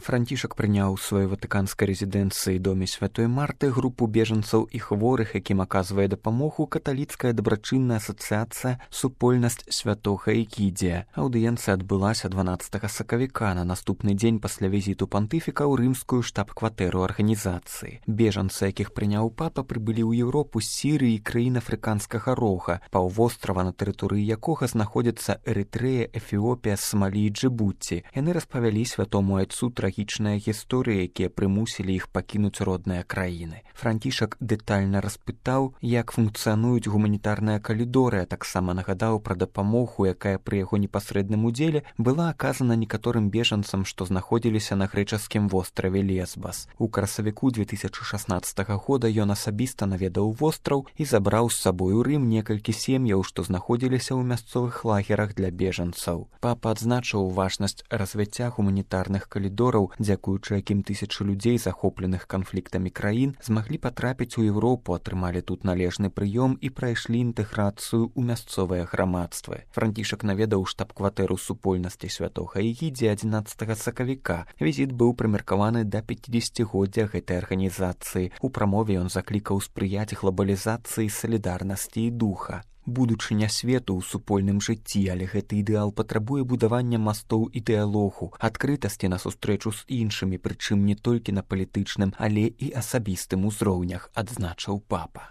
Францішак прыняў у сваёй ватыканскай рэзідэнцыі доме святой Марты групу бежанцаў і хворых, якім аказвае дапамогу каталіцкая дабрачынная асацыяцыя «Супольнасць святога Эгідзія». Аўдыенцыя адбылася 12 сакавіка на наступны дзень пасля візіту пантыфіка ў рымскую штаб-кватэру арганізацыі. Бежанцы, якіх прыняў папа, прыбылі ў Еўропу з Сірыі і краін афрыканскага рога, паўвострава, на тэрыторыі якога знаходзяцца Эрытрэя, Эфіопія, Самалі і Джыбуці. Яны распавялі святому айцу трагічныя гісторыі, якія прымусілі іх пакінуць родныя краіны. Францішак дэтальна распытаў, як функцыянуюць гуманітарныя калідоры, а таксама нагадаў пра дапамогу, якая пры яго непасрэдным удзеле была аказана некаторым бежанцам, што знаходзіліся на грэчаскім востраве Лесбас. У красавіку 2016 года ён асабіста наведаў востраў і забраў з сабой у Рым некалькі сем'яў, што знаходзіліся ў мясцовых лагерах для бежанцаў. Папа адзначыў важнасць развіцця гуманітарных калідораў, дзякуючы якім тысячы людзей, захопленых канфліктамі краін, змаглі патрапіць у Еўропу, атрымалі тут належны прыём і прайшлі інтэграцыю ў мясцовыя грамадствы. Францішак наведаў штаб-кватэру супольнасці святога Эгідзія 11 сакавіка. Візіт быў прымеркаваны да 50-годдзя гэтай арганізацыі. У прамове ён заклікаў спрыяць глобалізацыі, салідарнасці і духа. Будучыня свету ў супольным жыцці, але гэты ідэал патрабуе будавання мастоў і дыялогу, адкрытасці на сустрэчу з іншымі, прычым не толькі на палітычным, але і асабістым узроўнях, адзначыў папа.